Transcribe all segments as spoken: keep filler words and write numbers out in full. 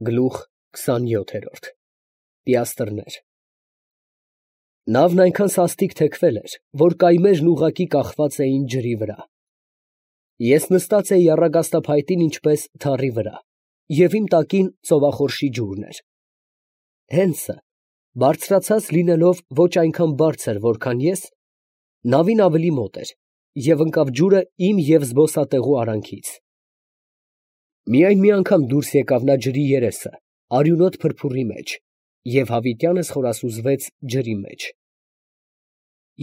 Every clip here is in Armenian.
Գլուխ քսանյոթ Պիաստրներ Նավն այնքան սաստիկ թեքվել էր, որ կայմերն ուղղակի կախված էին ջրի վրա։ Ես նստած էի առագաստափայտին ինչպես թառի վրա, և իմ տակին ծովախորշի ջուրն էր։ Հենսը, բարձրացած լինելով ոչ այնքան բարձր, որքան ես, նավին ավելի մոտ էր, և ընկավ ջուրը իմ և զբոսատեղու արանքից։ Միայն մի անգամ դուրս եկավ նա ջրի երեսը, արյունոտ փրփուրի մեջ, և հավիտյանս խորասուզվեց ջրի մեջ։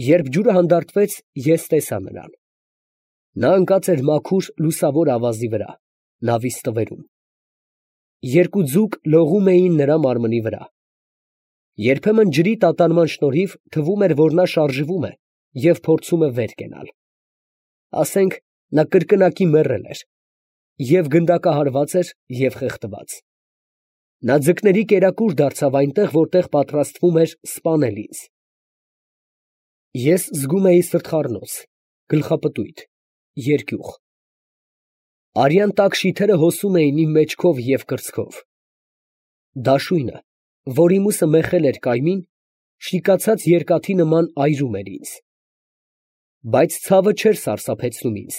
Երբ ջուրը հանդարտվեց, ես տեսա նրան. նա ընկած էր մաքուր լուսավոր ավազի վրա, նավի ստվերում։ Երկու ձուկ լողում էին նրա մարմնի վրա։ Երբեմն ջրի տատանման շնորհիվ թվում էր, որ նա շարժվում է և փորձում է վեր կենալ։ Ասենք նա կրկնակի մեռել էր, և գնդակահարված էր և խեղդված։ Նա ձկների կերակուր դարձավ այնտեղ, որտեղ պատրաստվում էր սպանել ինձ։ Ես զգում էի սրտխառնոց, գլխապտույտ, երկյուղ։ Արյան տաք շիթերը հոսում էին իմ մեջքով և կրծքով։ Դաշույնը, որ իմուսը մեխել էր կայմին, շիկացած երկաթի նման այրում էր ինձ։ Բայց ցավը չէր սարսափեցնում ինձ,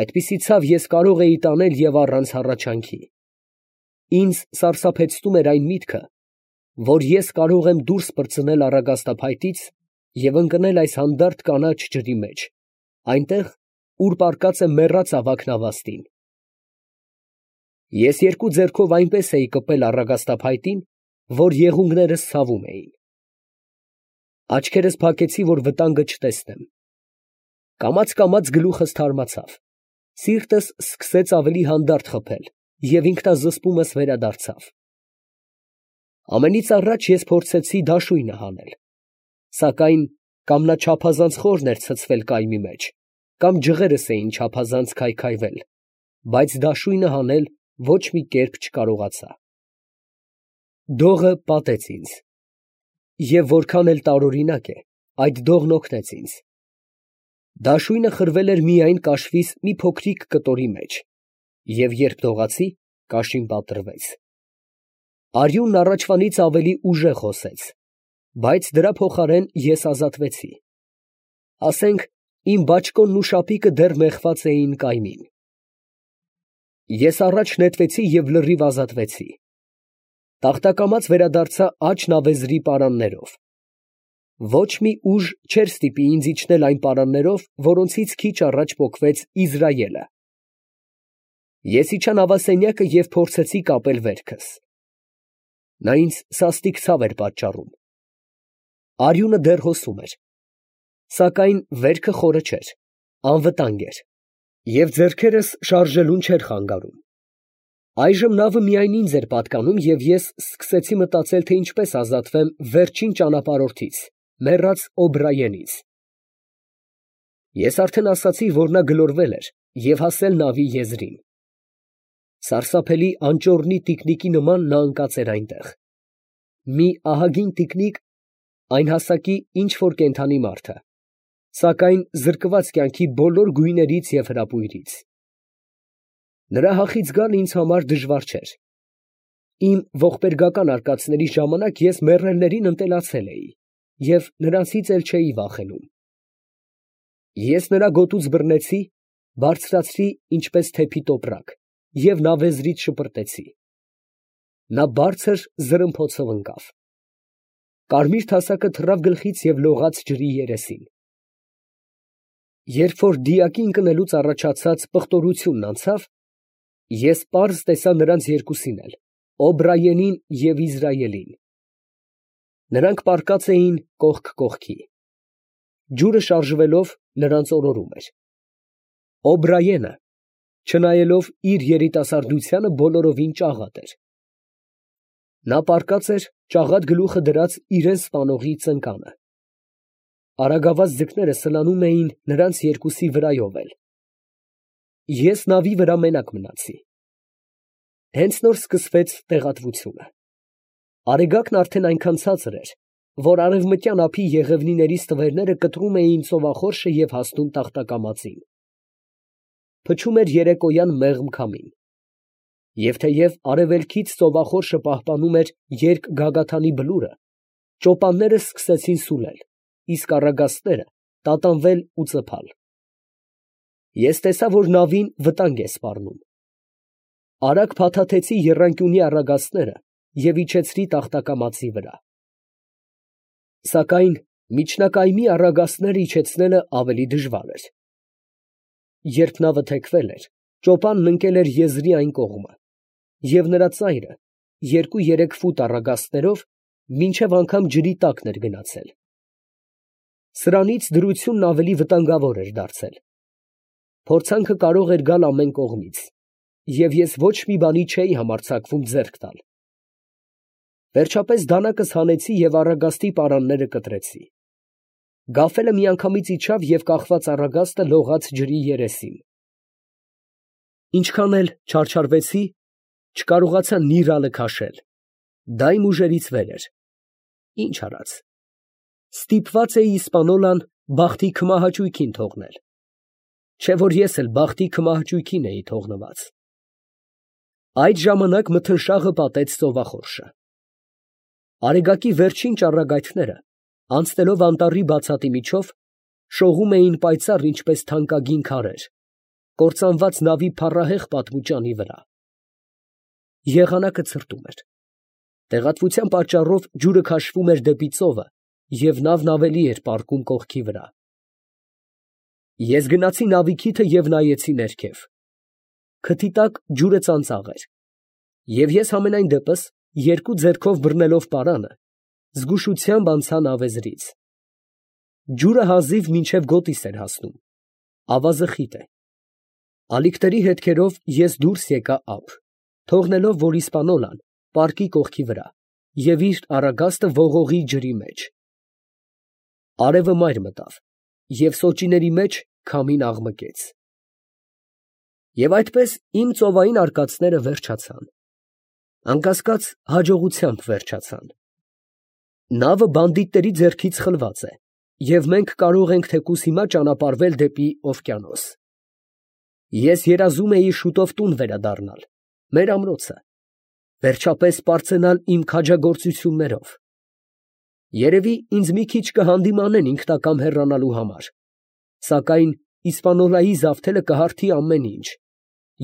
այդպիսի ցավ ես կարող էի տանել և առանց հառաչանքի։ Ինձ սարսափեցնում էր այն միտքը, որ ես կարող եմ դուրս պրծնել առագաստափայտից և ընկնել այս հանդարտ կանաչ ջրի մեջ, այնտեղ, ուր պառկած է մեռած ավագ նավաստին։ Ես երկու ձեռքով այնպես էի կպել առագաստափայտին, որ եղունգներս ցավում էին։ Աչքերս փակեցի, որ վտանգը չտեսնեմ։ Կամաց֊կամաց գլուխս թարմացավ, սիրտս սկսեց ավելի հանդարտ խփել, և ինքնազսպումս վերադարձավ։ Ամենից առաջ ես փորձեցի դաշույնը հանել, սակայն կամ նա չափազանց խորն էր ցցվել կայմի մեջ, կամ ջղերս էին չափազանց քայքայվել, բայց դաշույնը հանել ոչ մի կերպ չկարողացա։ Դողը պատեց ինձ, և որքան էլ տարօրինակ է, այդ դողն օգնեց ինձ։ Դաշույնը խրվել էր միայն կաշվիս մի փոքրիկ կտորի մեջ, և երբ դողացի, կաշին պատռվեց։ Արյունն առաջվանից ավելի ուժեղ հոսեց, բայց դրա փոխարեն ես ազատվեցի։ Ասենք իմ բաճկոնն ու շապիկը դեռ մեխված էին կայմին։ Ես առաջ նետվեցի և լրիվ ազատվեցի։ Տախտակամաց վերադարձա աջ նավեզրի պարաններով։ Ոչ մի ուժ չէր ստիպի ինձ իջնել այն պարաններով, որոնցից քիչ առաջ պոկվեց Իզրայելը։ Ես իջա նավասենյակը և փորձեցի կապել վերքս։ Նա ինձ սաստիկ ցավ էր պատճառում։ Արյունը դեռ հոսում էր, սակայն վերքը խորը չէր, անվտանգ էր, և ձեռքերս շարժելուն չէր խանգարում։ Այժմ նավը միայն ինձ էր պատկանում, և ես սկսեցի մտածել, թե ինչպես ազատվեմ վերջին ճանապարհորդից, մեռած Օբրայենից։ Ես արդեն ասացի, որ նա գլորվել էր և հասել նավի եզրին։ Սարսափելի անճոռնի տիկնիկի նման նա ընկած էր այնտեղ։ Մի ահագին տիկնիկ, այն հասակի ինչ որ կենդանի մարդը, սակայն զրկված կյանքի բոլոր գույներից և հրապույրից։ Նրա հախից գալը ինձ համար դժվար չէր։ Իմ ողբերգական արկածների ժամանակ ես մեռելներին ընտելացել էի և նրանցից էլ չէի վախենում։ Ես նրա գոտուց բռնեցի, բարձրացրի ինչպես թեփի տոպրակ և նավեզրից շպրտեցի։ Նա բարձր զրմփոցով ընկավ։ Կարմիր թասակը թռավ գլխից և լողաց ջրի երեսին։ Երբ որ դիակի ընկնելուց առաջացած պղտորությունն անցավ, ես պարզ տեսա նրանց երկուսին էլ, Օբրայենին և Իզրայելին։ Նրանք պառկած էին կողք կողքի։ Ջուրը շարժվելով նրանց օրորում էր։ Օբրայենը, չնայելով իր երիտասարդությանը, բոլորովին ճաղատ էր։ Նա պառկած էր ճաղատ գլուխը դրած իրան սպանողի ծնկանը։ Արագավազ ձկները սլանում էին նրանց երկուսի վրայով էլ։ Ես նավի վրա մենակ մնացի։ Հենց նոր սկսվեց տեղատվությունը։ Արեգակն արդեն այնքան ցածր էր, որ արևմտյան ափի եղևնիների ստվերները կտրում էին ծովախորշը և հասնում տախտակամածին։ Փչում էր երեկոյան մեղմ քամին։ Եվ թեև արևելքից ծովախորշը պահպանում էր երկգագաթանի բլուրը, ճոպանները սկսեցին սուլել, իսկ առագաստները տատանվել ու ծփալ։ Ես տեսա, որ նավին վտանգ է սպառնում։ Արագ փաթաթեցի եռանկյունի առագաստները և իջեցրի տախտակամածի վրա։ Սակայն միջնակայմի առագաստները իջեցնելը ավելի դժվար էր։ Երբ նավը թեքվել էր, ճոպանն ընկել էր եզրի այն կողմը, և նրա ծայրը երկու֊երեք ֆուտ առագաստներով մինչև անգամ ջրի տակն էր գնացել։ Սրանից դրությունն ավելի վտանգավոր էր դարձել։ Փորձանքը կարող էր գալ ամեն կողմից, և ես ոչ մի բանի չէի համարձակվում ձեռք տալ։ Վերջապես դանակս հանեցի և առագաստի պարանները կտրեցի։ Գաֆելը միանգամից իջավ և կախված առագաստը լողաց ջրի երեսին։ Ինչքան էլ չարչարվեցի, չկարողացա մի ռալը քաշել, դա իմ ուժերից վեր էր։ Ինչ արած, ստիպված էի իսպանոլան բախտի քմահաճույքին թողնել, չէ՞ որ ես էլ բախտի քմահաճույքին էի թողնված։ Այդ ժամանակ մթնշաղը պատեց ծովախորշը։ Արեգակի վերջին ճառագայթները, անցնելով անտառի բացատի միջով, շողում էին պայծառ ինչպես թանկագին քարեր, կործանված նավի փառահեղ պատմուճանի վրա։ Եղանակը ցրտում էր։ Տեղատվության պատճառով ջուրը քաշվում էր դեպի ծովը, և նավն ավելի էր պառկում կողքի վրա։ Ես գնացի նավի քիթը և նայեցի ներքև։ Քթի տակ ջուրը ծանծաղ էր, և ես համենայն դեպս, երկու ձեռքով բռնելով պարանը, զգուշությամբ անցա նավեզրից։ Ջուրը հազիվ մինչև գոտիս էր հասնում, ավազը խիտ է։ Ալիքների հետքերով ես դուրս եկա ափ, թողնելով, որ իսպանոլան պառկի կողքի վրա և իր առագաստը ողողի ջրի մեջ։ Արևը մայր մտավ, և սոճիների մեջ քամին աղմկեց։ Եվ այդպես իմ ծովային արկածները վերջացան, անկասկած հաջողությամբ վերջացան։ Նավը բանդիտների ձեռքից խլված է, և մենք կարող ենք թեկուզ հիմա ճանապարհվել դեպի օվկիանոս։ Ես երազում էի շուտով տուն վերադառնալ, մեր ամրոցը, վերջապես պարծենալ իմ քաջագործություններով։ Երևի ինձ մի քիչ կհանդիմանեն ինքնակամ հեռանալու համար, սակայն Իսպանոլայի զավթելը կհարթի ամեն ինչ,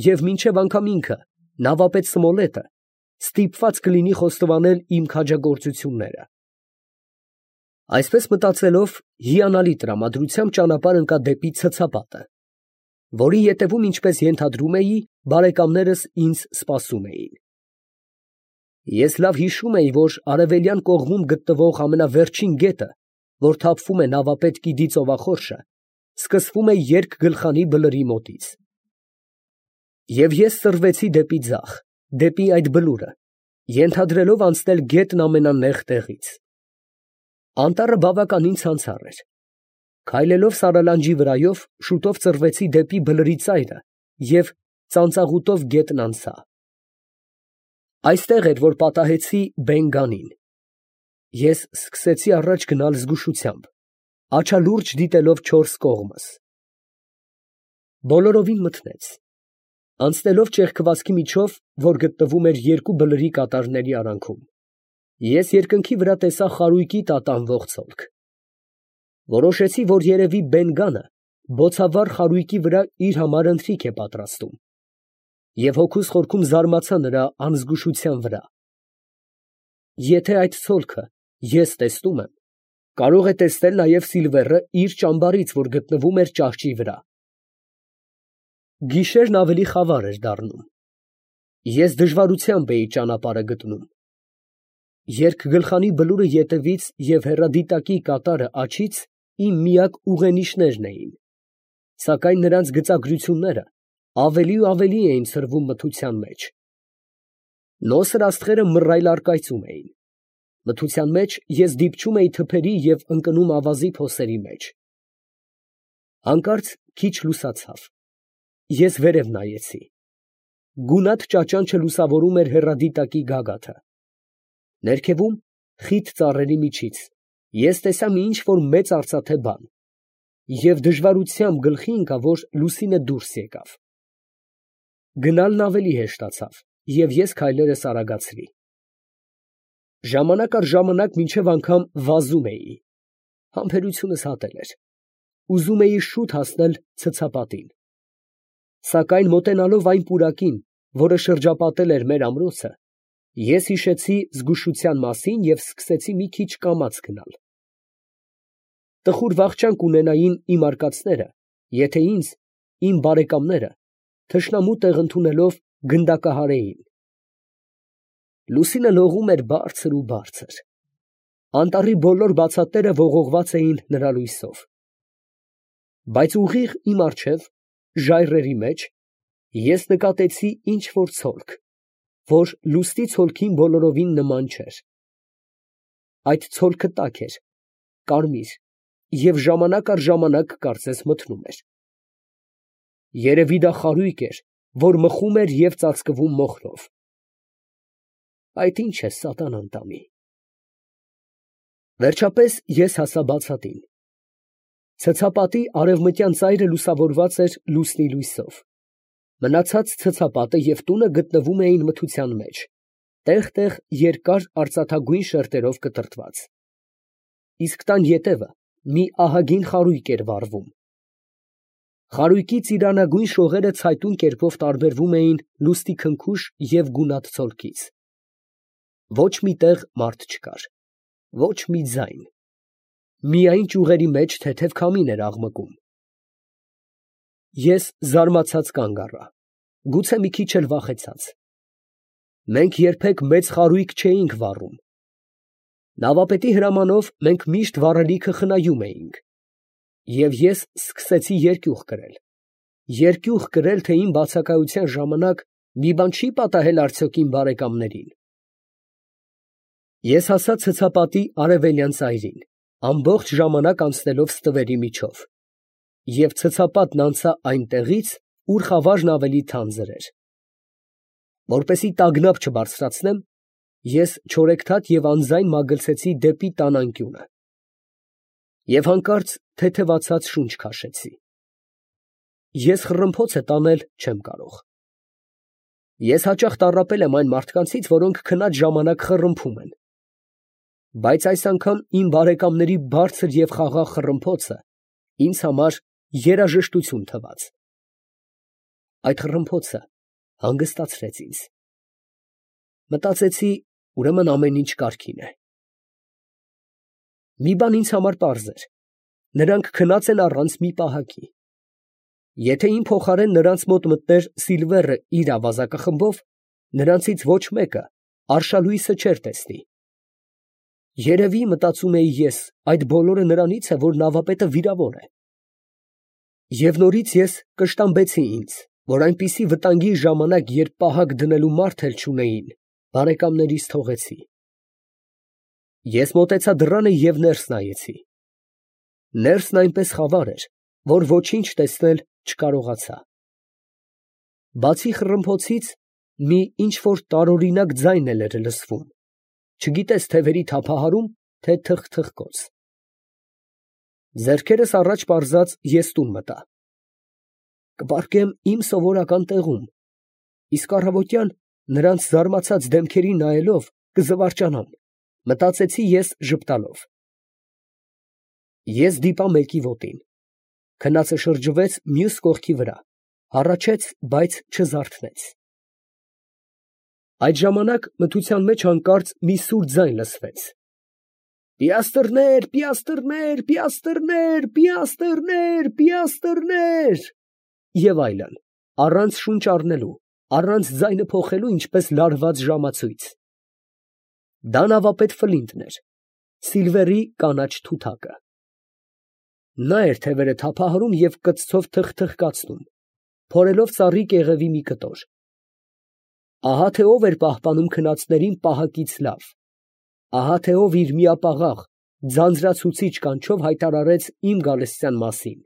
և մինչև անգամ ինքը, նավապետ Սմոլետը, ստիպված կլինի խոստովանել իմ քաջագործությունները։ Այսպես մտածելով, հիանալի տրամադրությամբ ճանապարհ ընկա դեպի ցցապատը, որի ետևում, ինչպես ենթադրում էի, բարեկամներս ինձ սպասում էին։ Ես լավ հիշում էի, որ արևելյան կողմում գտնվող ամենավերջին գետը, որ թափվում է նավապետ Կիդի ծովախորշը, սկսվում է երկգլխանի բլրի մոտից։ Եվ ես սրվեցի դեպի ձախ, դեպի այդ բլուրը, ենթադրելով անցնել գետն ամենանեղ տեղից։ Անտառը բավականին ցանցառ էր։ Քայլելով սարալանջի վրայով, շուտով ծռվեցի դեպի բլրի ծայրը և ծանծաղուտով գետն անցա։ Այստեղ էր, որ պատահեցի Բեն֊Գանին։ Ես սկսեցի առաջ գնալ զգուշությամբ, աչալուրջ դիտելով չորս կողմս։ Բոլորովին մթնեց։ Անցնելով ճեղքվածքի միջով, որ գտնվում էր երկու բլրի կատարների արանքում, ես երկնքի վրա տեսա խարույկի տատանվող ցոլք։ Որոշեցի, որ երևի Բեն֊Գանը բոցավառ խարույկի վրա իր համար ընթրիք է պատրաստում, և հոգուս խորքում զարմացա նրա անզգուշության վրա։ Եթե այդ ցոլքը ես տեսնում եմ, կարող է տեսնել նաև Սիլվերը իր ճամբարից, որ գտնվում էր ճահճի վրա։ Գիշերն ավելի խավար էր դառնում։ Ես դժվարությամբ էի ճանապարհը գտնում։ Երկգլխանի բլուրը ետևից և հեռադիտակի կատարը աջից իմ միակ ուղենիշներն էին, սակայն նրանց գծագրությունները ավելի ու ավելի էին ցրվում մթության մեջ։ Նոսր աստղերը մռայլ առկայծում էին։ Մթության մեջ ես դիպչում էի թփերի և ընկնում ավազի փոսերի մեջ։ Հանկարծ քիչ լուսացավ։ Ես վերև նայեցի։ Գունատ ճաճանչը լուսավորում էր հեռադիտակի գագաթը։ Ներքևում, խիտ ծառերի միջից, ես տեսա մի ինչ֊որ մեծ արծաթե բան, և դժվարությամբ գլխի ընկա, որ լուսինը դուրս եկավ։ Գնալն ավելի հեշտացավ, և ես քայլերս արագացրի։ Ժամանակ առ ժամանակ մինչև անգամ վազում էի. համբերությունս հատել էր, ուզում էի շուտ հասնել ցցապատին, սակայն մոտենալով այն պուրակին, որը շրջապատել էր մեր ամրոցը, ես հիշեցի զգուշության մասին և սկսեցի մի քիչ կամաց գնալ։ Տխուր վախճան կունենային իմ արկածները, եթե ինձ, իմ բարեկամները, թշնամու տեղ ընդունելով գնդակահարեին։ Լուսինը լողում էր բարձր ու բարձր, անտառի բոլոր բացատները ողողված էին նրա լույսով, բայց ուղիղ իմ առջև, ժայռերի մեջ, ես նկատեցի ինչ֊որ ցոլք, որ լուսնի ցոլքին բոլորովին նման չէր. այդ ցոլքը տաք էր, կարմիր և ժամանակ առ ժամանակ կարծես մթնում էր։ Երևի դա խարույկ էր, որ մխում էր և ծածկվում մոխրով։ Այդ ի՞նչ է սատանան տանի։ Վերջապես ես հասա բացատին։ Ցցապատի արևմտյան ծայրը լուսավորված էր լուսնի լույսով, մնացած ցցապատը և տունը գտնվում էին մթության մեջ, տեղ֊տեղ երկար արծաթագույն շերտերով կտրտված, իսկ տան ետևը մի ահագին խարույկ էր վառվում։ Խարույկի ծիրանագույն շողերը ցայտուն կերպով տարբերվում էին լուսնի քնքուշ և գունատ ցոլքից։ Ոչ մի տեղ մարդ չկար, ոչ մի ձայն, միայն ճյուղերի մեջ թեթև քամին էր աղմկում։ Ես զարմացած կանգ առա, գուցե մի քիչ էլ վախեցած։ Մենք երբեք մեծ խարույկ չէինք վառում։ Նավապետի հրամանով մենք միշտ վառելիքը խնայում էինք, և ես սկսեցի երկյուղ կրել, երկյուղ կրել, թե իմ բացակայության ժամանակ մի բան չի պատահել արդյոք իմ բարեկամներին։ Ես հասա ցցապատի արևելյան ծայրին, ամբողջ ժամանակ անցնելով ստվերի միջով, և ցցապատն անցա այնտեղից, ուր խավարն ավելի թանձր էր։ Որպեսզի տագնապ չբարձրացնեմ, ես չորեքթաթ և անձայն մագլցեցի դեպի տան անկյունը և հանկարծ թեթևացած շունչ քաշեցի։ Ես խռմփոց է տանել չեմ կարող։ Ես հաճախ տառապել եմ այն մարդկանցից, որոնք քնած ժամանակ խռմփում են, բայց այս անգամ իմ բարեկամների բարձր և խաղաղ խռմփոցը ինձ համար երաժշտություն թվաց։ Այդ խռմփոցը հանգստացրեց ինձ։ Մտածեցի, ուրեմն ամեն ինչ կարգին է։ Մի բան ինձ համար պարզ էր. նրանք քնած են առանց մի պահակի։ Եթե իմ փոխարեն նրանց մոտ մտներ Սիլվերը իր ավազակախմբով, նրանցից ոչ մեկը արշալույսը չէր տեսնի։ Երևի, մտածում էի ես, այդ բոլորը նրանից է, որ նավապետը վիրավոր է։ Եվ նորից ես կշտամբեցի ինձ, որ այնպիսի վտանգի ժամանակ, երբ պահակ դնելու մարդ էլ չունեին, բարեկամներիս թողեցի։ Ես մոտեցա դռանը և ներս նայեցի։ Ներսն այնպես խավար էր, որ ոչինչ տեսնել չկարողացա։ Բացի խռմփոցից, մի ինչ֊որ տարօրինակ ձայն էլ էր լսվում, չգիտես թևերի թափահարում, թե թխթխկոց։ Ձեռքերս առաջ պարզած ես տուն մտա։ Կպառկեմ իմ սովորական տեղում, իսկ առավոտյան նրանց զարմացած դեմքերին նայելով կզվարճանամ, մտածեցի ես ժպտալով։ Ես դիպա մեկի ոտին, քնածը շրջվեց մյուս կողքի վրա, հառաչեց, բայց չզարթնեց։ Այդ ժամանակ մթության մեջ հանկարծ մի սուր ձայն լսվեց. «Պիաստրներ, պիաստրներ, պիաստրներ, պիաստրներ, պիաստրներ» և այլն, առանց շունչ առնելու, առանց ձայնը փոխելու, ինչպես լարված ժամացույց։ Դա նավապետ Ֆլինտն էր, Սիլվերի կանաչ թութակը։ Նա էր թևերը թափահարում և կծցով թխթխկացնում, փորելով ծառի կեղևի մի կտոր։ Ահա թե ով էր պահպանում քնածներին պահակից լավ, ահա թե ով իր միապաղաղ, ձանձրացուցիչ կանչով հայտարարեց իմ գալստյան մասին։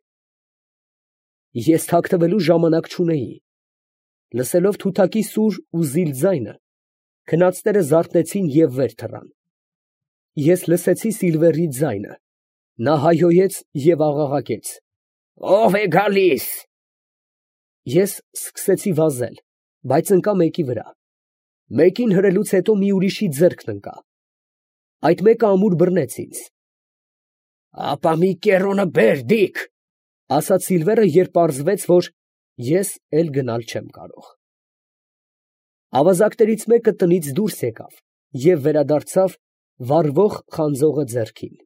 Ես թաքնվելու ժամանակ չունեի։ Լսելով թութակի սուր ու զիլ ձայնը, քնածները զարթնեցին և վեր թռան։ Ես լսեցի Սիլվերի ձայնը, նա հայհոյեց և աղաղակեց. «Ո՞վ է գալիս»։ Ես սկսեցի վազել, բայց ընկա մեկի վրա, Մեկին հրելուց հետո մի ուրիշի ձեռքն ընկա. այդ մեկը ամուր բռնեց ինձ։ «Ապա մի կեռոնը բեր, Դիք», ֊ ասաց Սիլվերը, երբ պարզվեց, որ ես էլ գնալ չեմ կարող։ Ավազակներից մեկը տնից դուրս եկավ և վերադարձավ վառվող խանձողը ձեռքին։